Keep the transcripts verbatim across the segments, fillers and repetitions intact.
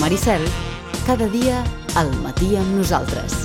Maricel, cada dia al matí amb nosaltres.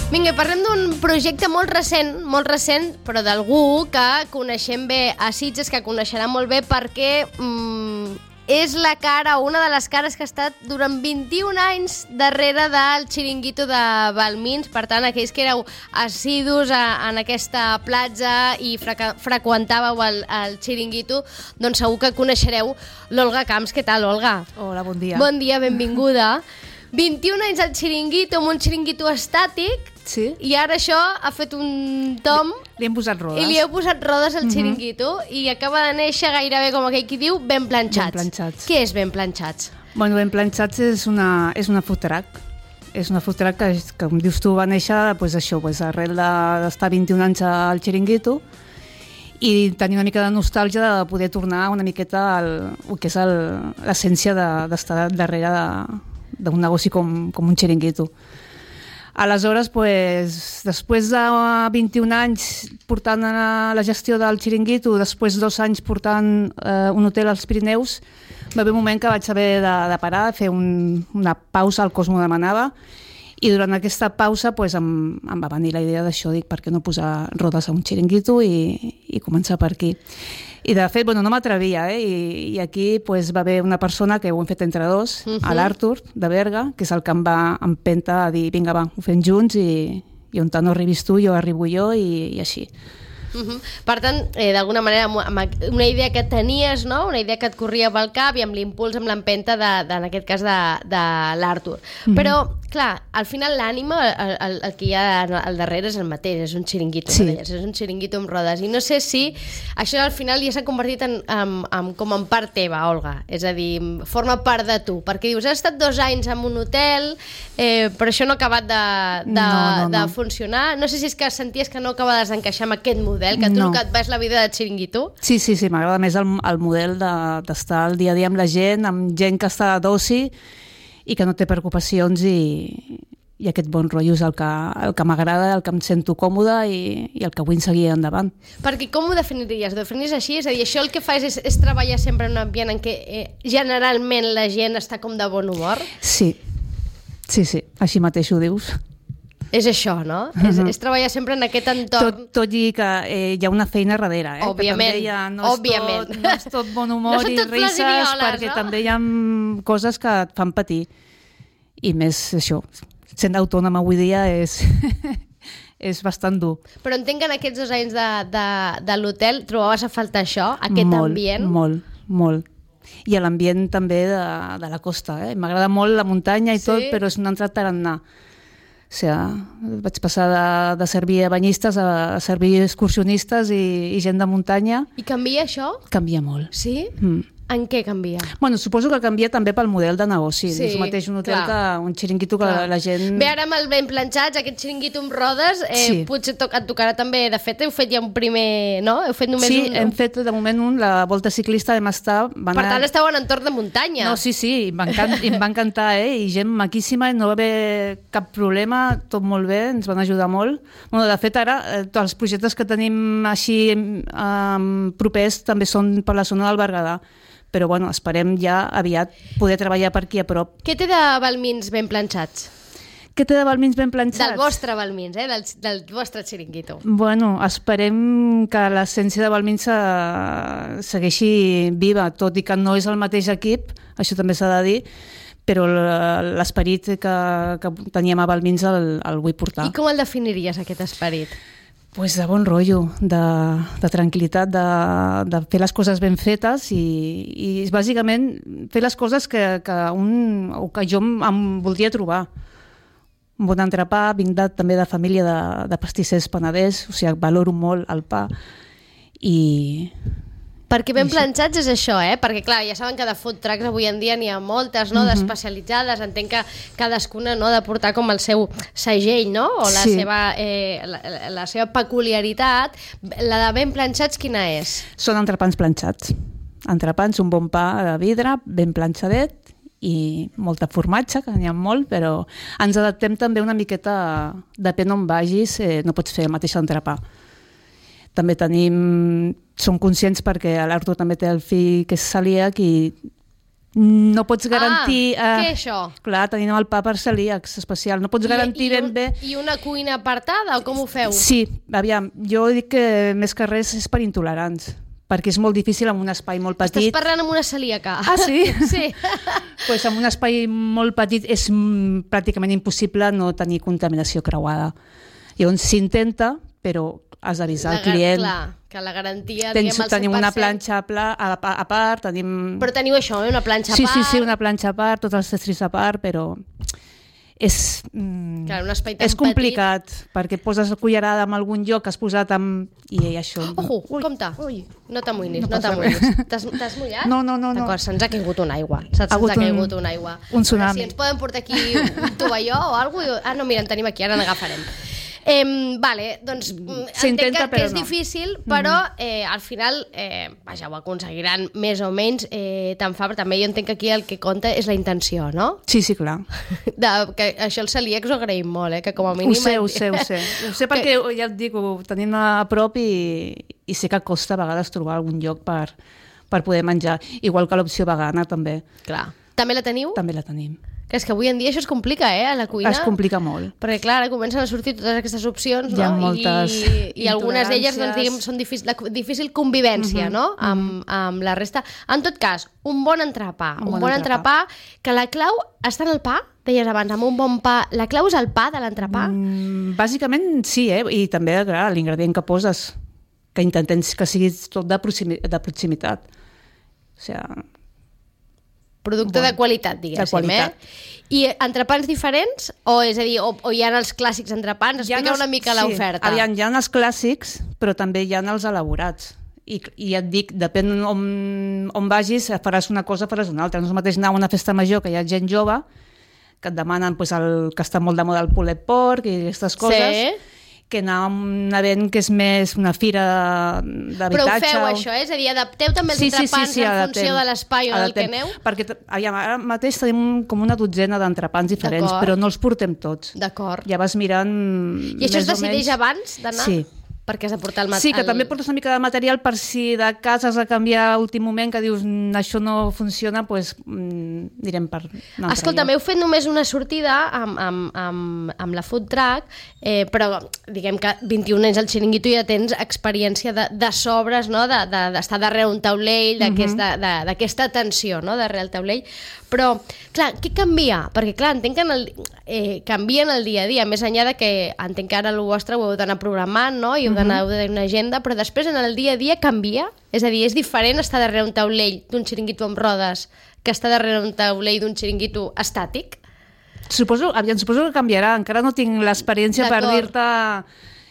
Vinga, parlem d'un projecte molt recent, molt recent, però d'algú que coneixem bé a Sitges, que coneixerà molt bé perquè mm, és la cara, una de les cares que ha estat durant vint-i-un anys darrere del xiringuito de Balmins. Per tant, aquells que éreu assidus a, en aquesta platja i frequ freqüentàveu el, el xiringuito, doncs segur que coneixereu l'Olga Camps. Què tal, Olga? Hola, bon dia. Bon dia, benvinguda. vint-i-un anys al xiringuito, amb un xiringuito estàtic, sí. I ara això ha fet un tom... Li, li hem posat rodes. I li heu posat rodes al xiringuito, uh -huh. i acaba de néixer gairebé, com aquell qui diu, ben planxats. Ben planxats. Què és ben planxats? Bueno, ben planxats és una, és una food truck. És una food truck que, que com dius tu, va néixer pues, això, pues, arrel d'estar vint-i-un anys al xiringuito i tenir una mica de nostàlgia de poder tornar una miqueta al el que és l'essència d'estar de, darrere de d'un negoci com, com un xiringuito. Aleshores, pues, després de vint-i-un anys portant la gestió del xiringuito, després dos anys portant eh, un hotel als Pirineus, va haver un moment que vaig haver de, de parar, fer un, una pausa, el cos m'ho demanava, i durant aquesta pausa pues, em, em va venir la idea d'això, dic, per què no posar rodes a un xiringuito i, i començar per aquí. I de fet, bueno, no m'atrevia, eh? I, i aquí pues, va haver una persona que ho hem fet entre dos, uh -huh. l'Artur, de Berga, que és el que em va empenta a dir, vinga, va, ho fem junts i, i on tant no arribis tu, jo arribo jo i, i així. Uh -huh. Per tant, eh, d'alguna manera, amb una idea que tenies, no? Una idea que et corria pel cap i amb l'impuls, amb l'empenta, de, de, en aquest cas, de, de l'Artur. Uh -huh. Però, clar, al final l'ànima, el, el, el que hi ha al darrere és el mateix, és un xiringuito, sí. és un xiringuito amb rodes. I no sé si això al final ja s'ha convertit en, en, en, com en part teva, Olga. És a dir, forma part de tu. Perquè dius, has estat dos anys en un hotel, eh, però això no ha acabat de, de, no, no, no. de funcionar. No sé si és que senties que no acabaves d'encaixar amb aquest model, que tu no. el que et vas la vida de xiringuito. Sí, sí, sí, m'agrada més el, el model d'estar de, al dia a dia amb la gent, amb gent que està d'oci i que no té preocupacions i, i aquest bon rotllo és el que, el que m'agrada, el que em sento còmoda i, i el que vull seguir endavant. Perquè com ho definiries? Ho definiries així? És a dir, això el que fas és, és treballar sempre en un ambient en què eh, generalment la gent està com de bon humor? Sí, sí, sí, així mateix ho dius. És això, no? Uh -huh. és, és treballar sempre en aquest entorn. Tot, tot i que eh, hi ha una feina darrere, eh? Òbviament, que també ha, no, òbviament. És tot, no és tot bon humor no i risses, violes, perquè no? també hi ha coses que et fan patir. I més això, sent autònoma avui dia és, és bastant dur. Però entenc que en aquests dos anys de, de, de l'hotel trobaves a faltar això, aquest molt, ambient? Molt, molt. I l'ambient també de, de la costa. Eh? M'agrada molt la muntanya i sí? tot, però és un altre tarannà. O sigui, vaig passar de, de servir a banyistes a, a servir excursionistes i, i gent de muntanya. I canvia això? Canvia molt. Sí? Mm. En què canvia? Bueno, suposo que canvia també pel model de negoci. Sí, és el mateix un hotel clar. que un xiringuito que clar. la gent... Bé, ara amb el ben planxats, aquest xiringuito amb rodes, eh, sí. potser to et tocarà també, de fet, heu fet ja un primer, no? Heu fet només sí, un... hem fet de moment un, la volta ciclista vam estar... Per anar... tant, esteu en entorn de muntanya. No, sí, sí, em va, encant, em va encantar, eh? I gent maquíssima, no va haver cap problema, tot molt bé, ens van ajudar molt. Bueno, de fet, ara, eh, tots els projectes que tenim així eh, propers també són per la zona del Berguedà. Però bueno, esperem ja aviat poder treballar per aquí a prop. Què té de Balmins ben planxats? Què té de Balmins ben planxats? Del vostre Balmins, eh? del, del vostre xiringuito. Bueno, esperem que l'essència de Balmins se, segueixi viva, tot i que no és el mateix equip, això també s'ha de dir, però l'esperit que, que teníem a Balmins el, el vull portar. I com el definiries, aquest esperit? Pues de bon rotllo, de, de tranquil·litat, de, de fer les coses ben fetes i, i bàsicament fer les coses que, que, un, o que jo em, em voldria trobar. Un bon entrepà, vinc de, també de família de, de pastissers peneders, o sigui, valoro molt el pa i... Perquè ben planxats és això, eh? Perquè, clar, ja saben que de food trucks avui en dia n'hi ha moltes, no?, uh -huh. d'especialitzades. Entenc que cadascuna, no?, ha de portar com el seu segell, no?, o la, sí. seva, eh, la, la seva peculiaritat. La de ben planxats, quina és? Són entrepans planxats. Entrepans, un bon pa de vidre, ben planxadet, i molta formatge, que n'hi ha molt, però ens adaptem també una miqueta, depèn on vagis, eh, no pots fer el mateix entrepà. també tenim, som conscients perquè l'Artur també té el fill que és celíac i no pots garantir... Ah, eh, què és això? Clar, tenim el pa per celíacs especial. No pots garantir I, i ben un, bé... I una cuina apartada, o com ho feu? Sí, aviam, jo dic que més que res és per intolerants, perquè és molt difícil en un espai molt petit. Estàs parlant amb una celíaca. Ah, sí? Sí. Pues en un espai molt petit és mm, pràcticament impossible no tenir contaminació creuada. Llavors s'intenta, però has d'avisar al client. Clar, que la garantia, Tens, diguem, al cent per cent. tenim una planxa a, pla, a, a part, tenim... Però teniu això, eh? Una planxa a sí, part. Sí, sí, una planxa a part, tots els estris a part, però és, mm, clar, un espai tan és complicat, petit. perquè poses la cullerada en algun lloc que has posat amb... I això... Ojo, Ui, compte. ui. No t'amoïnis, No no, passa t'amoïnis. T'has t'has mullat? No, no, no. no. D'acord, se'ns ha caigut una aigua. Se'ns ha, hagut ha caigut un- una aigua. un tsunami. Si ens poden portar aquí un tovalló o alguna cosa... Ah, no, mira, en tenim aquí, ara n'agafarem. Eh, vale, doncs entenc S'intenta, que, que però és no. difícil, però eh, al final eh, vaja, ho aconseguiran més o menys eh, tant fa, però també jo entenc que aquí el que compta és la intenció, no? Sí, sí, clar. De, que això els celíacs ho agraïm molt, eh? Que com a mínim... Ho sé, ho sé, ho sé. Ho sé perquè, ja et dic, ho tenim a prop i, i sé que costa a vegades trobar algun lloc per, per poder menjar. Igual que l'opció vegana, també. Clar. També la teniu? També la tenim. Que és que avui en dia això es complica, eh, a la cuina. Es complica molt. Perquè, clar, ara comencen a sortir totes aquestes opcions, Hi ha no? moltes I, i algunes d'elles, doncs, intoleràncies. diguem, són difícil, la difícil convivència, Mhm, no?, amb, amb la resta. En tot cas, un bon entrepà. Un Un, bon bon entrepà. entrepà, que la clau està en el pa, deies abans, amb un bon pa. La clau és el pa de l'entrepà? Mm, bàsicament sí, eh? I també, clar, l'ingredient que poses, que intentem que sigui tot de, proximi de proximitat. O sigui, Producte bon. de qualitat, diguéssim, De qualitat. eh? I entrepans diferents? O, és a dir, o, o hi ha els clàssics entrepans? Hi ha Explica els- una mica sí. l'oferta. Aviam, hi ha els clàssics, però també hi ha els elaborats. I, i et dic, depèn on, on vagis, faràs una cosa, faràs una altra. No és el mateix anar a una festa major que hi ha gent jove, que et demanen pues, el, que està molt de moda el pulled pork i aquestes coses, Sí. que anar a un event que és més una fira d'habitatge. Però ho feu, o- això, és a dir, adapteu també els Sí, sí, sí, entrepans sí, en adaptem. funció de l'espai o del que Adaptem. aneu? Perquè t- aviam, ara mateix tenim com una dotzena d'entrepans diferents, D'acord. però no els portem tots. D'acord. Ja vas mirant... I això es més o decideix menys. abans d'anar? Sí. Perquè has de portar el material. Sí, que també portes una mica de material per si de casa has de canviar a últim moment, que dius "Mm, això no funciona, doncs mm, anirem per un altre Escolta, lloc. m'heu fet només una sortida amb, amb, amb, amb la food truck, eh, però diguem que vint-i-un anys al xiringuito ja tens experiència de, de sobres, no? de, de, d'estar darrere un taulell, d'aquesta Mhm. de, d'aquesta tensió, no? darrere el taulell. Però, clar, què canvia? Perquè, clar, entenc que en el, eh, canvia en el dia a dia, més enllà de que entenc que ara el vostre ho heu d'anar programant, no? I heu d'anar de una agenda, però després en el dia a dia canvia? És a dir, és diferent estar darrere un taulell d'un xiringuito amb rodes que estar darrere un taulell d'un xiringuito estàtic? Suposo, aviam, suposo que canviarà. Encara no tinc l'experiència per D'acord. dir-te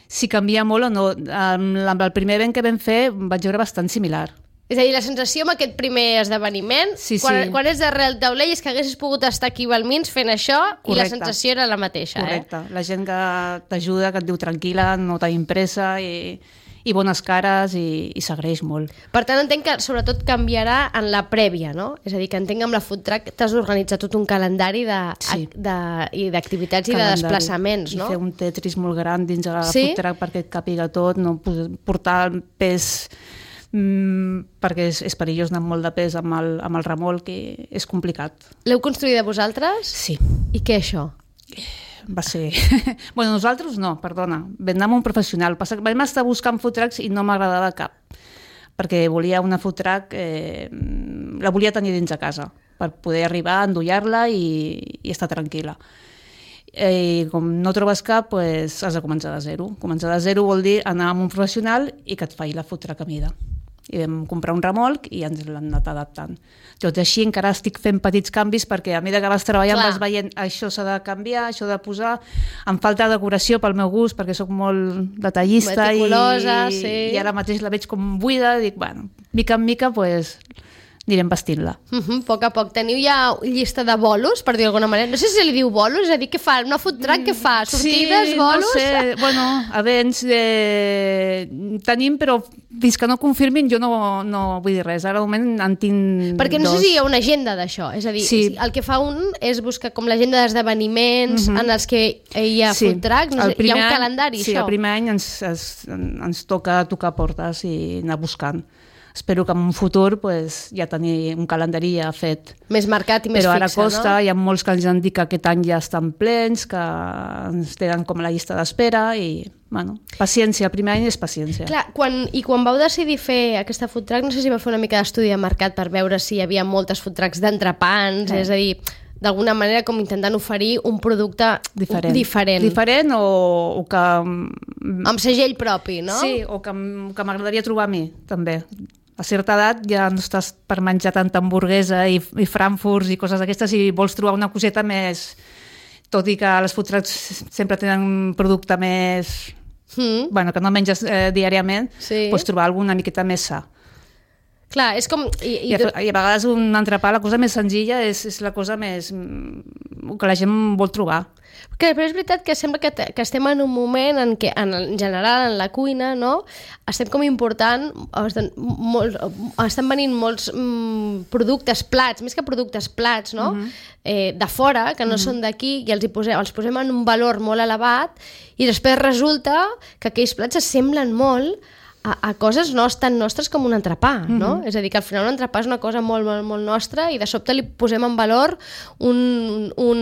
si canvia molt o no. Amb, amb el primer event que vam fer vaig veure bastant similar. És a dir, la sensació amb aquest primer esdeveniment, Sí, quan, sí. quan és darrere el taulell, és que haguessis pogut estar aquí al Balmins fent això i la Correcte. sensació era la mateixa. Correcte. La gent que t'ajuda, que et diu tranquil·la, no tenim pressa i, i bones cares i, i s'agraeix molt. Eh? Per tant, entenc que sobretot canviarà en la prèvia, no? És a dir, que entenc que amb la food truck t'has d'organitzar tot un calendari de, Sí. de, i d'activitats i de Calendari. desplaçaments, no? I fer un tetris molt gran dins de la Sí? food truck perquè et càpiga tot, no pos- portar el pes mm, perquè és, és perillós anar amb molt de pes amb el, amb el remolc i és complicat. L'heu construïda vosaltres? Sí, I què això? va ser... bueno, nosaltres no, perdona, vam anar amb un professional. Passa que vam estar buscant food trucks i no m'agradava cap, perquè volia una food truck, eh, la volia tenir dins de casa, per poder arribar, endollar-la i, i estar tranquil·la. Eh, I com no trobes cap, pues, has de començar de zero. Començar de zero vol dir anar amb un professional i que et faci la food truck a mida. I vam comprar un remolc i ens l'han anat adaptant. Tot i així encara estic fent petits canvis perquè a mesura que vas treballant Clar. vas veient això s'ha de canviar, això de posar, em falta decoració pel meu gust perquè sóc molt detallista i, Meticulosa, sí. i ara mateix la veig com buida i dic, bueno, mica en mica pues, anirem vestint-la. Uh -huh, a poc a poc. Teniu ja llista de bolos, per dir d'alguna manera? No sé si se li diu bolos, és a dir, què fa? Una food truck, què fa? Sortides, sí, bolos? no sé, bueno, events eh, tenim, però fins que no confirmin jo no, no vull dir res. Ara, al moment, en tinc Perquè no dos. sé si hi ha una agenda d'això, és a dir, Sí. el que fa un és buscar com l'agenda d'esdeveniments uh -huh. en els que hi ha Sí. food trucks, no sé, hi ha un any- calendari, sí, això? el primer any ens, ens, ens toca tocar portes i anar buscant. Espero que en un futur pues, ja tenir un calendari ja fet. Més marcat i més Però ara fixe, costa, no? hi ha molts que ens han dit que aquest any ja estan plens, que ens tenen com a la llista d'espera i, bueno, paciència, el primer any és paciència. Clar, quan, i quan vau decidir fer aquesta food truck, no sé si vau fer una mica d'estudi de mercat per veure si hi havia moltes food trucks d'entrepans, Sí. és a dir, d'alguna manera com intentant oferir un producte Diferent. diferent, Diferent o, o que... amb segell propi, no? Sí, o que, m- que m'agradaria trobar a mi, també. A certa edat ja no estàs per menjar tanta hamburguesa i, i frankfurts i coses d'aquestes i vols trobar una coseta més... Tot i que les food trucks sempre tenen un producte més... Mm. Bueno, que no menges eh, diàriament, Sí. pots trobar alguna miqueta més sa. Clar, és com... I, I, i, a, I a vegades un entrepà, la cosa més senzilla és, és la cosa més... mm, que la gent vol trobar. que, però és veritat que sembla que, te- que estem en un moment en què, en, en general, en la cuina, no? Estem com important, estan, molt, estan venint molts mm, productes, plats, més que productes, plats, no? Uh-huh. eh, de fora, que no uh-huh. són d'aquí, i els, hi posem, els posem en un valor molt elevat, i després resulta que aquells plats s'assemblen molt a, a coses no tan nostres com un entrepà, no? Mm-hmm. És a dir, que al final un entrepà és una cosa molt, molt, molt nostra i de sobte li posem en valor un, un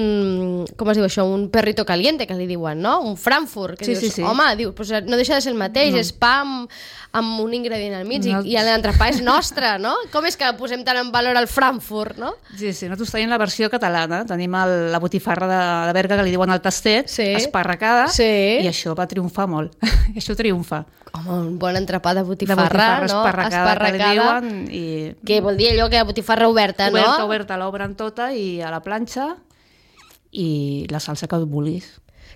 com es diu això, un perrito caliente, que li diuen, no? Un Frankfurt, que Sí, dius, sí, sí. home, diu, pues no deixa de ser el mateix, No. és pa amb, amb un ingredient al mig No. i, i l'entrepà és nostre, no? Com és que posem tant en valor el Frankfurt, no? Sí, sí, nosaltres tenim la versió catalana, tenim el, la botifarra de, de Berga, que li diuen el tastet, Sí. esparracada, Sí. i això va triomfar molt. això triomfa. Home, un bon entrepà de De botifarra, botifarra no? esparracada, que li diuen, i... Que vol dir allò que botifarra oberta, no? Oberta, oberta, l'obren tota i a la planxa i la salsa que vulguis.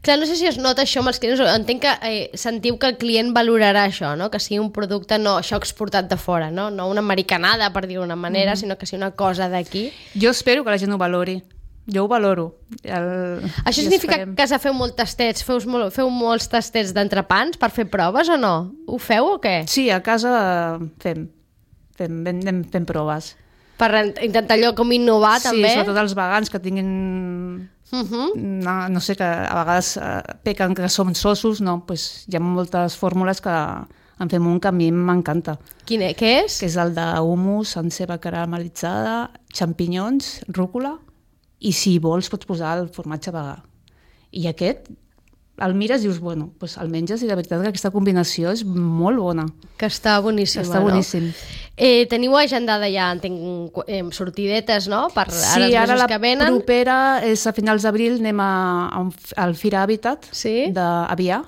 Clar, no sé si es nota això amb els clients, entenc que eh, sentiu que el client valorarà això, no? Que sigui un producte, no això exportat de fora, no? No una americanada, per dir-ho d'una manera, mm. sinó que sigui una cosa d'aquí. Jo espero que la gent ho valori. Jo ho valoro. El... Això i significa esperem. que a casa feu molts tastets, feu, molt, feu molts tastets d'entrepans per fer proves o no? Ho feu o què? Sí, a casa fem, fem, fem, anem fent proves. Per intentar allò com innovar, sí, també? Sí, sobretot els vegans que tinguin... Uh -huh. No, no sé, que a vegades eh, pequen que som sosos, no, pues hi ha moltes fórmules que en fem un que a mi m'encanta, Quin és? Què és? que és el d'humus amb ceba caramelitzada, xampinyons, rúcula, i si vols pots posar el formatge vegà. I aquest, el mires i dius, bueno, pues el menges i la veritat que aquesta combinació és molt bona. Que està boníssima, Està boníssim. no? Eh, teniu agendada ja, entenc, eh, sortidetes, no? Per ara Sí, els ara mesos la que venen. propera és a finals d'abril, anem a, a un, al Fira Habitat Sí. d'Avià,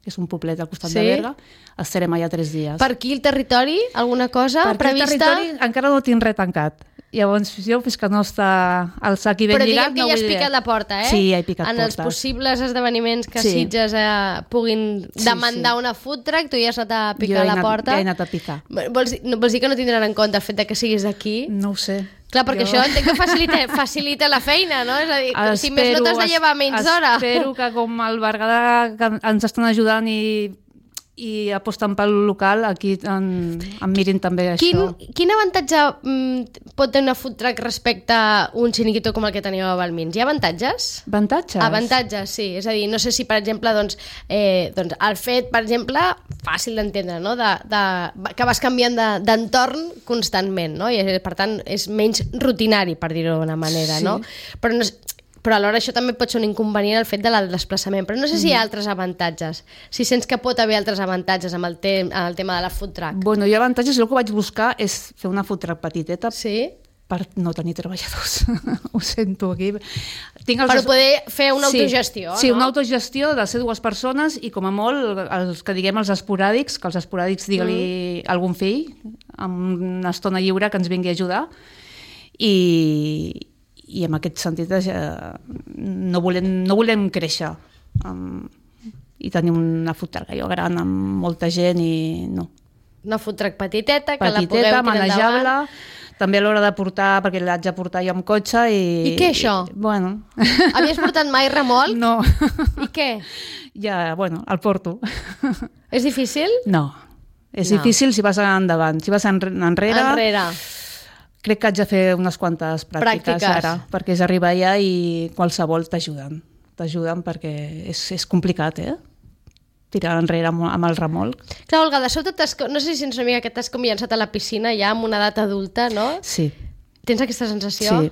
que és un poblet al costat Sí. de Berga. Estarem allà tres dies. Per aquí el territori, alguna cosa Per aquí el prevista? territori encara no tinc res tancat. Llavors, jo, fins que no està el sac i ben Però lligat, diguem que no ja has vull dir. picat la porta, eh? Sí, ja he picat en els portes. possibles esdeveniments que Sí. Sitges eh, puguin Sí, demandar sí. una food truck, tu ja has anat a Jo picar he la anat, porta. Ja he anat a picar. Vols, dir- no, vols dir que no tindran en compte el fet de que siguis d'aquí? No ho sé. Clar, perquè Jo- això entenc que facilita, facilita la feina, no? És a dir, si més no t'has de llevar menys d'hora. Espero que com el Berguedà que ens estan ajudant i, i aposten pel local, aquí en, en mirin també això. Quin, quin avantatge mm, pot tenir una food truck respecte a un xiringuito com el que teníeu a Balmins? Hi ha avantatges? Avantatges? Avantatges, sí. És a dir, no sé si, per exemple, doncs, eh, doncs el fet, per exemple, fàcil d'entendre, no? de, de, que vas canviant de- d'entorn constantment, no? I, eh, per tant, és menys rutinari, per dir-ho d'una manera, Sí. no? Però no és, però alhora això també pot ser un inconvenient el fet de del desplaçament. Però no sé si hi ha altres avantatges. Si sents que pot haver altres avantatges amb el, te amb el tema de la food truck. Bueno, hi ha avantatges. El que vaig buscar és fer una food truck petiteta Sí? per no tenir treballadors. Ho sento aquí. Tinc els Per poder fer una sí, autogestió, Sí, no? una autogestió de ser dues persones i com a molt els que diguem els esporàdics, que els esporàdics digue-li mm. algun fill amb una estona lliure que ens vingui a ajudar i, i en aquest sentit eh, no, volem, no volem créixer um, i tenir una food truck allò gran amb molta gent i no. Una food truck petiteta, que la pugueu Petiteta, tirar endavant. manejable. També a l'hora de portar, perquè l'haig de portar jo amb cotxe i... I què, això? I, bueno... Havies portat mai remolc? No. I què? Ja, bueno, el porto. És difícil? No. És No. difícil si vas endavant. Si vas enre- enrere... Enrere. Crec que haig de fer unes quantes pràctiques, Pràctiques. ara, perquè és arribar allà i qualsevol t'ajuden. T'ajuden perquè és, és complicat, eh? Tirar enrere amb, amb el remolc. Clar, Olga, de sobte t'has... no sé si sents una mica que t'has com llançat a la piscina ja amb una edat adulta, no? Sí. Tens aquesta sensació? Sí.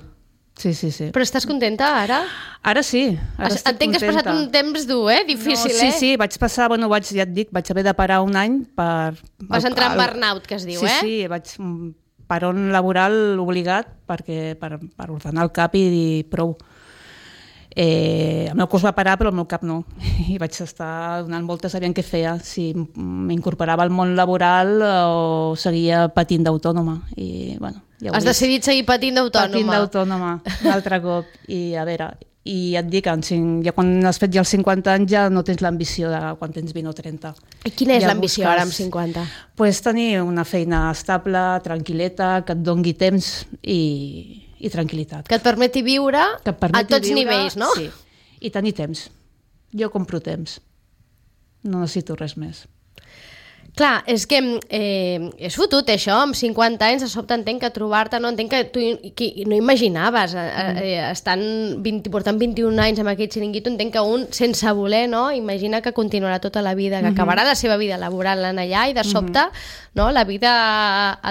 Sí, sí, sí. Però estàs contenta ara? Ara sí. Ara Es- estic Entenc que has contenta. passat un temps dur, eh? Difícil, no, sí, eh? Sí, vaig passar, bueno, vaig, ja et dic, vaig haver de parar un any per... Vas entrar en el- burnout, que es diu, sí, eh? Sí, vaig mm, parón laboral obligat perquè, per, per ordenar el cap i dir prou. Eh, el meu cos va parar, però el meu cap no. I vaig estar donant voltes sabent què feia, si m'incorporava al món laboral o seguia patint d'autònoma. I, bueno, ja ho Has he vist. decidit seguir patint d'autònoma. Patint d'autònoma, un altre cop. I a veure, i et dic, en cinc, ja quan has fet ja els cinquanta anys ja no tens l'ambició de quan tens vint o trenta. I quina és Ja l'ambició busques- ara amb cinquanta? Pues tenir una feina estable, tranquil·leta, que et dongui temps i, i tranquil·litat. Que et permeti viure Que et permeti a tots viure, nivells, no? Sí, i tenir temps. Jo compro temps. No necessito res més. Clar, és que eh, és fotut això, amb cinquanta anys de sobte entenc que trobar-te, no entenc que tu que no imaginaves, eh, eh, estant vint, portant vint-i-un anys amb aquest xiringuito, entenc que un, sense voler, no, imagina que continuarà tota la vida, que acabarà la seva vida laboral en allà i de sobte no, la vida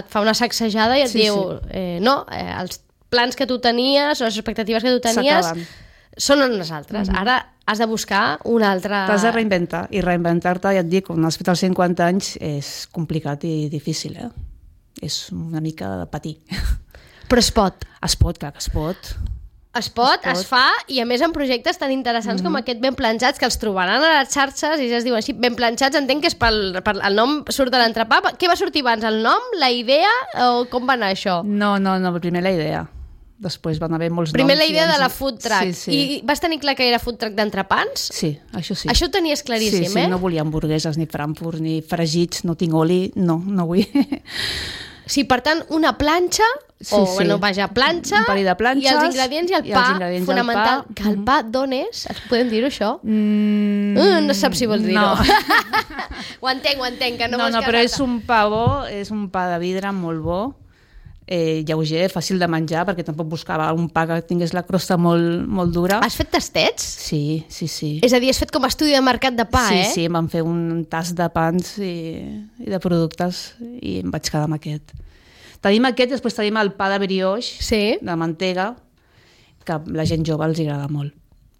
et fa una sacsejada i et Sí, diu, eh, no, eh, els plans que tu tenies o les expectatives que tu tenies S'acaben. són unes altres. Ara has de buscar una altra... T'has de reinventar, i reinventar-te, ja et dic, quan has fet els cinquanta anys és complicat i difícil, eh? És una mica de patir. Però es pot. Es pot, clar que es pot. Es pot, es, Es pot. fa, i a més amb projectes tan interessants mm -hmm. com aquest Ben Planxats, que els trobaran a les xarxes i ja es diuen així, Ben Planxats, entenc que és pel, pel el nom surt de l'entrepà. Què va sortir abans, el nom, la idea, o com va anar això? No, no, no, primer la idea. Després van haver molts Primer noms. la i idea ens- de la food truck. Sí, sí. I vas tenir clar que era food truck d'entrepans? Sí, això sí. Això ho tenies claríssim, sí, sí, eh? no volia hamburgueses, ni frankfurt, ni fregits, no tinc oli, no, no vull. Sí, per tant, una planxa, Sí, o, sí. bueno, vaja, planxa, Un parell de planxes, i els ingredients i el i els pa, ingredients i el fonamental. pa. Que el pa d'on és? Podem dir-ho, això? Mm, Uh, no saps si vols dir-ho. no. ho entenc, ho entenc, que no, No, vols no, però és casar-te. un pa bo, és un pa de vidre molt bo, eh, lleuger, fàcil de menjar, perquè tampoc buscava un pa que tingués la crosta molt, molt dura. Has fet tastets? Sí, sí, sí. És a dir, has fet com a estudi de mercat de pa, sí, eh? sí, em van fer un tas de pans i, i de productes i em vaig quedar amb aquest. Tenim aquest, després tenim el pa de brioche, Sí. de mantega, que a la gent jove els agrada molt,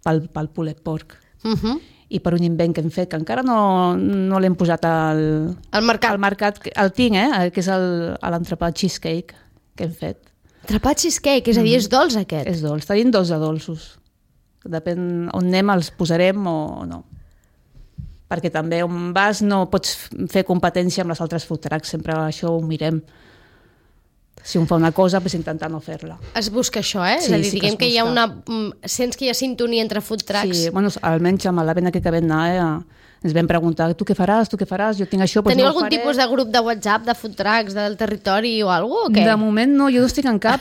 pel, pel pulled pork. Uh -huh. I per un invent que hem fet, que encara no, no l'hem posat al, Al mercat. al mercat, que- el tinc, eh? que és el- l'entrepà cheesecake que hem fet. Trepat cheesecake, és a dir, és dolç aquest. És dolç, tenim dos de dolços. Depèn on anem, els posarem o no. Perquè també on vas no pots fer competència amb les altres food trucks, sempre això ho mirem. Si un fa una cosa, pues intentar no fer-la. Es busca això, eh? Sí, és a dir, sí que diguem es que hi ha busca. una... mm, Sents que hi ha sintonia entre food trucks. Sí, bueno, almenys amb l'event aquest que vam anar, eh, ens vam preguntar, tu què faràs, tu què faràs, jo tinc això, doncs Teniu no ho algun faré. tipus de grup de WhatsApp de food trucks del territori o alguna cosa, o què? De moment no, jo no estic en cap,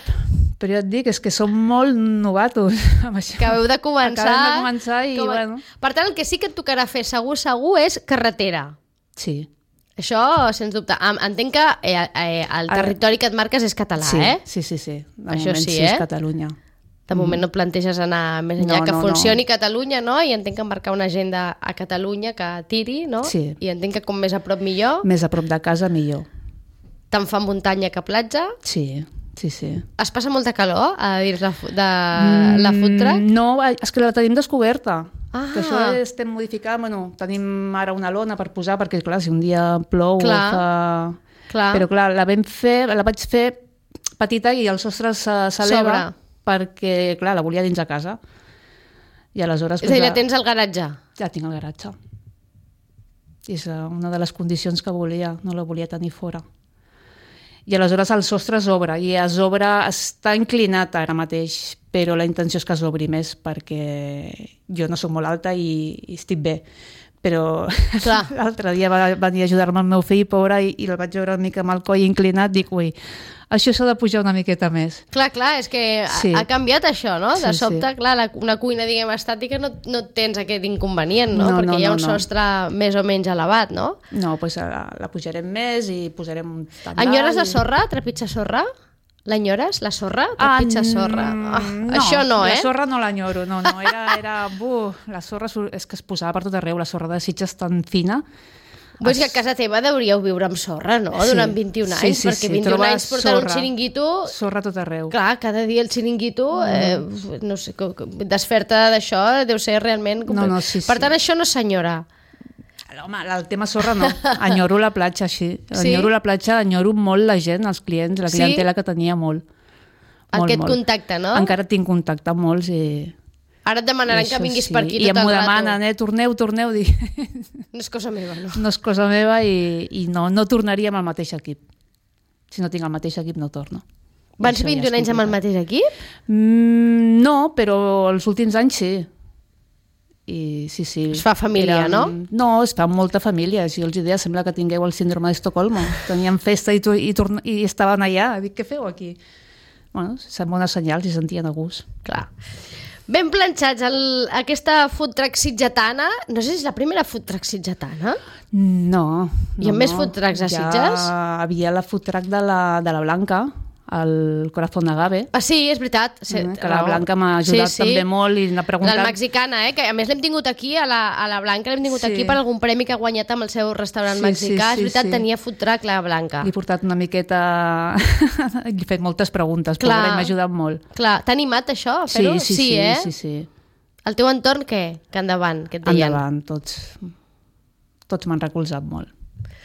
però ja et dic, és que som molt novatos amb això. Acabeu de començar. Acabem de començar i, Com a- bueno... Per tant, el que sí que et tocarà fer segur, segur, és carretera. Sí, Això, sens dubte. Em- Entenc que eh, eh, el Ara- territori que et marques és català, sí, eh? sí, sí, sí. De Això moment sí, sí, eh? és Catalunya. De moment no et planteges anar més enllà, No, que no, funcioni Catalunya, no? I entenc que marcar una agenda a Catalunya que tiri, no? Sí. I entenc que com més a prop millor. Més a prop de casa, millor. Tant fa muntanya que platja. Sí, sí, sí. Es passa molta calor a dins la, fu- de la food truck? Mm, No, és que la tenim descoberta. Ah. Que això estem modificant, bueno, tenim ara una lona per posar, perquè clar, si un dia plou Clar. o fa... Clar. Però clar, la vam fer, la vaig fer petita i el sostre se- s'eleva perquè, clar, la volia dins de casa. I aleshores... És a dir, pues, la tens al garatge. Ja tinc al garatge. I és eh, una de les condicions que volia, no la volia tenir fora. I aleshores el sostre s'obre, i es obre, està inclinat ara mateix, però la intenció és que s'obri més perquè jo no sóc molt alta i, i estic bé. Però Clar. l'altre dia va venir a ajudar-me el meu fill, pobre, i, i el vaig veure una mica amb el coll inclinat, dic, ui, això s'ha de pujar una miqueta més. Clar, clar, és que Sí. ha, ha canviat això, no? De Sí, sobte, sí. clar, la, una cuina, diguem, estàtica no, no tens aquest inconvenient, no? No, Perquè no, hi ha no, un no. sostre més o menys elevat, no? No, doncs la, la pujarem més i posarem un tendal. Enyores la i- sorra? Trepitja sorra? L'enyores? La sorra? Trepitja Ah, sorra. mm, Ah, no, això no, eh? La sorra no l'enyoro, no, no, era... era buh, la sorra sur- és que es posava per tot arreu, la sorra de Sitges tan fina. Vull dir que a casa teva deuríeu viure amb sorra, no? Sí. Durant vint-i-un Sí, anys, sí, perquè sí, vint-i-un trobes anys portant un sorra. xiringuito... Sorra a tot arreu. Clar, cada dia el xiringuito, eh, no sé, co- co- desfer-te d'això deu ser realment... No, no, sí, per sí. tant, això no senyora. Home, el tema sorra no. Enyoro la platja, sí. Sí? Enyoro la platja, enyoro molt la gent, els clients, la Sí? clientela que tenia molt. Molt, Aquest molt. contacte, no? Encara tinc contacte amb molts i... Ara et demanaran i que això vinguis sí. per aquí I tot em el rato. demanen, eh, torneu, torneu, dic, No és cosa meva, no? no és cosa meva i, i no, no tornaria amb el mateix equip. Si no tinc el mateix equip no torno. Van ser Això ja és vint-i-un anys amb el complicat. mateix equip? Mm, no, però els últims anys sí. I sí, sí. Es fa família, no? No, es fa molta família. Jo els deia, sembla que tingueu el síndrome d'Estocolmo. Teníem festa i, tu- i, torn- i estaven allà. Dic, què feu aquí? Bueno, sembla una senyal, si sentien a gust. Clar. Ben planxats, el, aquesta food truck sitgetana, no sé si és la primera food truck sitgetana. No. Hi ha no, més no. food trucks a Ja Sitges? havia la food truck de la, de la Blanca, el Corazón de Agave, Ah, sí, és veritat. Sí, eh, que la Blanca m'ha ajudat sí, sí. també molt i n'ha preguntat... Del mexicana, eh? Que a més l'hem tingut aquí, a la, a la Blanca, l'hem tingut Sí. aquí per algun premi que ha guanyat amb el seu restaurant Sí, mexicà. sí, sí, és veritat, sí. tenia food truck la Blanca. Li he portat una miqueta... Li he fet moltes preguntes, Clar. però m'ha ajudat molt. Clar, t'ha animat això, a Sí, fer-ho? sí, sí, eh? sí, sí. El teu entorn, què? Que endavant, què et deien? Endavant, tots, tots m'han recolzat molt.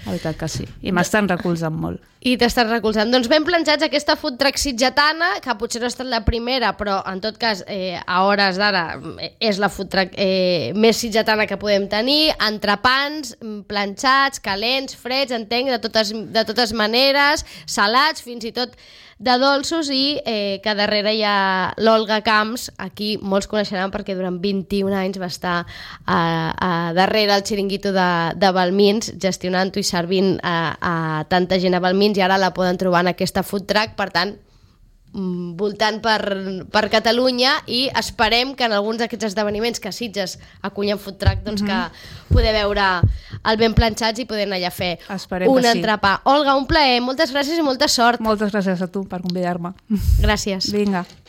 La veritat que sí. I m'estan recolzant molt. I t'estàs recolzant. Doncs ben planxats aquesta food truck sitgetana, que potser no ha estat la primera, però en tot cas, eh, a hores d'ara, eh, és la food truck eh, més sitgetana que podem tenir. Entrepans, mm, planxats, calents, freds, entenc, de totes, de totes maneres, salats, fins i tot de dolços, i eh, que darrere hi ha l'Olga Camps, aquí molts coneixeran perquè durant vint-i-un anys va estar a, a darrere el xiringuito de, de Balmins, gestionant-ho i servint a, a tanta gent a Balmins, i ara la poden trobar en aquesta food truck, per tant, mm, voltant per, per Catalunya, i esperem que en alguns d'aquests esdeveniments que a Sitges acullen food truck, doncs que poder veure el ben planxats i poder anar allà a fer Esperem un que sí. entrepà. Olga, un plaer, moltes gràcies i molta sort. Moltes gràcies a tu per convidar-me. Gràcies. Vinga.